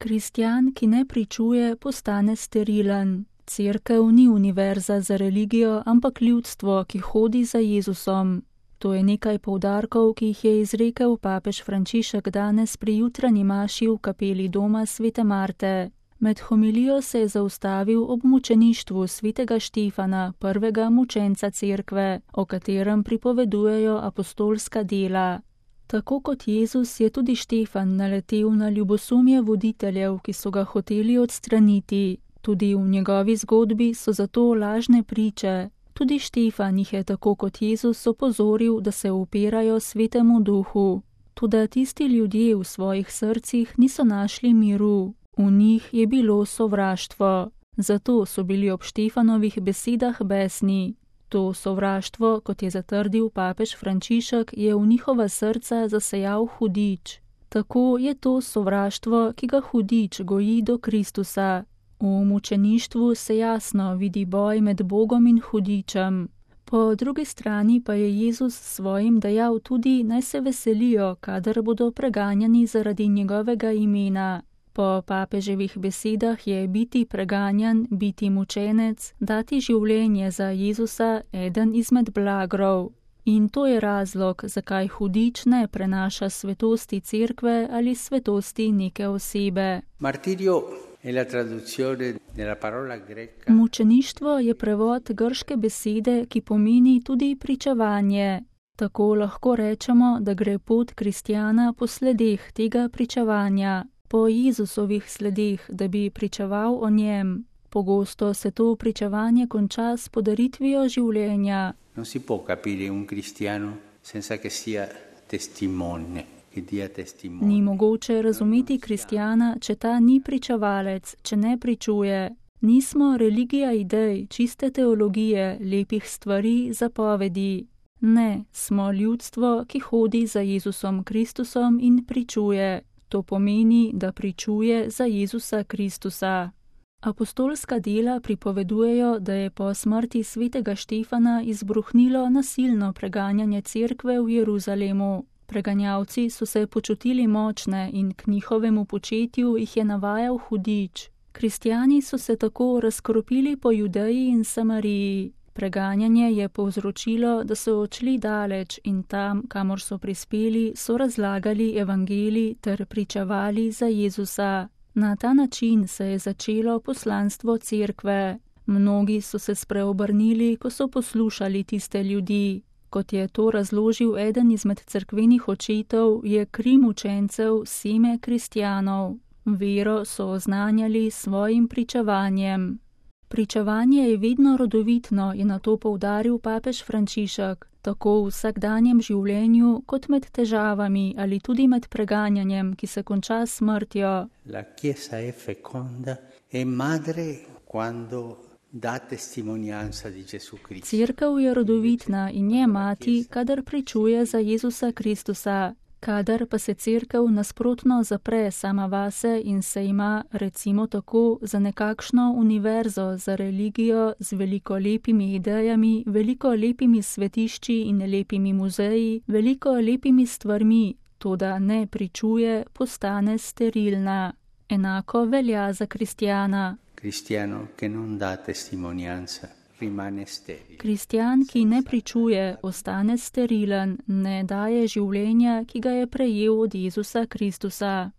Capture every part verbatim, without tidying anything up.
Kristjan, ki ne pričuje, postane sterilen. Cerkev ni univerza za religijo, ampak ljudstvo, ki hodi za Jezusom. To je nekaj poudarkov, ki jih je izrekel papež Frančišek danes pri jutranji maši v kapeli doma svete Marte. Med homilijo se je zaustavil ob mučeništvu svetega Štefana, prvega mučenca cerkve, o katerem pripovedujejo apostolska dela. Tako kot Jezus je tudi Štefan naletel na ljubosumje voditeljev, ki so ga hoteli odstraniti. Tudi v njegovi zgodbi so zato lažne priče. Tudi Štefan jih je tako kot Jezus opozoril, da se upirajo svetemu duhu. Toda tisti ljudje v svojih srcih niso našli miru. V njih je bilo sovraštvo. Zato so bili ob Štefanovih besedah besni. To sovraštvo, kot je zatrdil papež Frančišek, je v njihova srca zasejal hudič. Tako je to sovraštvo, ki ga hudič goji do Kristusa. V mučeništvu se jasno vidi boj med Bogom in hudičem. Po drugi strani pa je Jezus svojim dejal tudi, naj se veselijo, kadar bodo preganjani zaradi njegovega imena. Po papeževih besedah je biti preganjan, biti mučenec, dati življenje za Jezusa eden izmed blagrov. In to je razlog, zakaj hudič ne prenaša svetosti cerkve ali svetosti neke osebe. Martirio è la traduzione della parola greca. Mučeništvo je prevod grške besede, ki pomeni tudi pričevanje. Tako lahko rečemo, da gre pot kristjana po sledeh tega pričevanja. Po Jezusovih sledeh, da bi pričeval o njem. Pogosto se to pričevanje konča s podaritvijo življenja. Non si può capire un cristiano senza che sia testimone, che dia testimone. Ni mogoče razumeti kristjana, če ta ni pričevalec, če ne pričuje. Nismo religija idej, čiste teologije, lepih stvari, zapovedi. Ne, smo ljudstvo, ki hodi za Jezusom Kristusom in pričuje. To pomeni, da pričuje za Jezusa Kristusa. Apostolska dela pripovedujejo, da je po smrti svetega Štefana izbruhnilo nasilno preganjanje cerkve v Jeruzalemu. Preganjavci so se počutili močne in k njihovemu početju jih je navajal hudič. Kristjani so se tako razkropili po Judeji in Samariji. Preganjanje je povzročilo, da so odšli daleč in tam, kamor so prispeli, so razlagali evangelij ter pričevali za Jezusa. Na ta način se je začelo poslanstvo cerkve. Mnogi so se spreobrnili, ko so poslušali tiste ljudi. Kot je to razložil eden izmed cerkvenih očetov, je kri mučencev seme kristjanov. Vero so oznanjali svojim pričevanjem. Pričevanje je vedno rodovitno, je na to poudaril papež Frančišek, tako v vsakdanjem življenju, kot med težavami ali tudi med preganjanjem, ki se konča s smrtjo. La Chiesa è feconda e madre quando da testimonianza di Gesù Cristo. Cerkev je rodovitna in je mati, kadar pričuje za Jezusa Kristusa. Kadar pa se cerkev nasprotno zapre sama vase in se ima, recimo tako, za nekakšno univerzo, za religijo z veliko lepimi idejami, veliko lepimi svetišči in lepimi muzeji, veliko lepimi stvarmi, toda ne pričuje, postane sterilna. Enako velja za kristjana. Cristiano che non dà testimonianza. Kristjan, ki ne pričuje, ostane sterilen, ne daje življenja, ki ga je prejel od Jezusa Kristusa.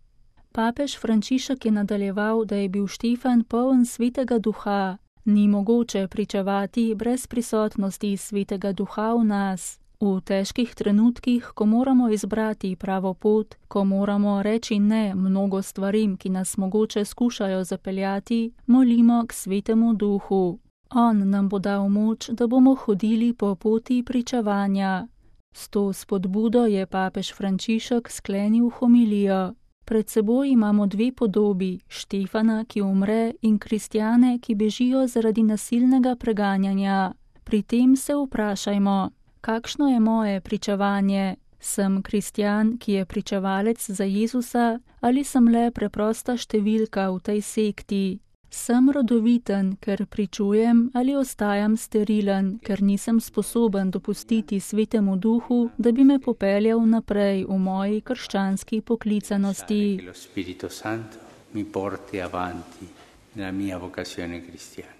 Papež Frančišek je nadaljeval, da je bil Štefan poln svetega duha. Ni mogoče pričevati brez prisotnosti svetega duha v nas. V težkih trenutkih, ko moramo izbrati pravo pot, ko moramo reči ne mnogo stvarim, ki nas mogoče skušajo zapeljati, molimo k svetemu duhu. On nam bo dal moč, da bomo hodili po poti pričevanja. S to spodbudo je papež Frančišek sklenil homilijo. Pred seboj imamo dve podobi, Štefana, ki umre, in kristjane, ki bežijo zaradi nasilnega preganjanja. Pri tem se vprašajmo, kakšno je moje pričevanje? Sem kristjan, ki je pričevalec za Jezusa, ali sem le preprosta številka v tej sekti? Sem rodoviten, ker pričujem, ali ostajam sterilen, ker nisem sposoben dopustiti svetemu duhu, da bi me popeljal naprej v moji krščanski poklicanosti. mi porti avanti nella mia vocazione cristiana.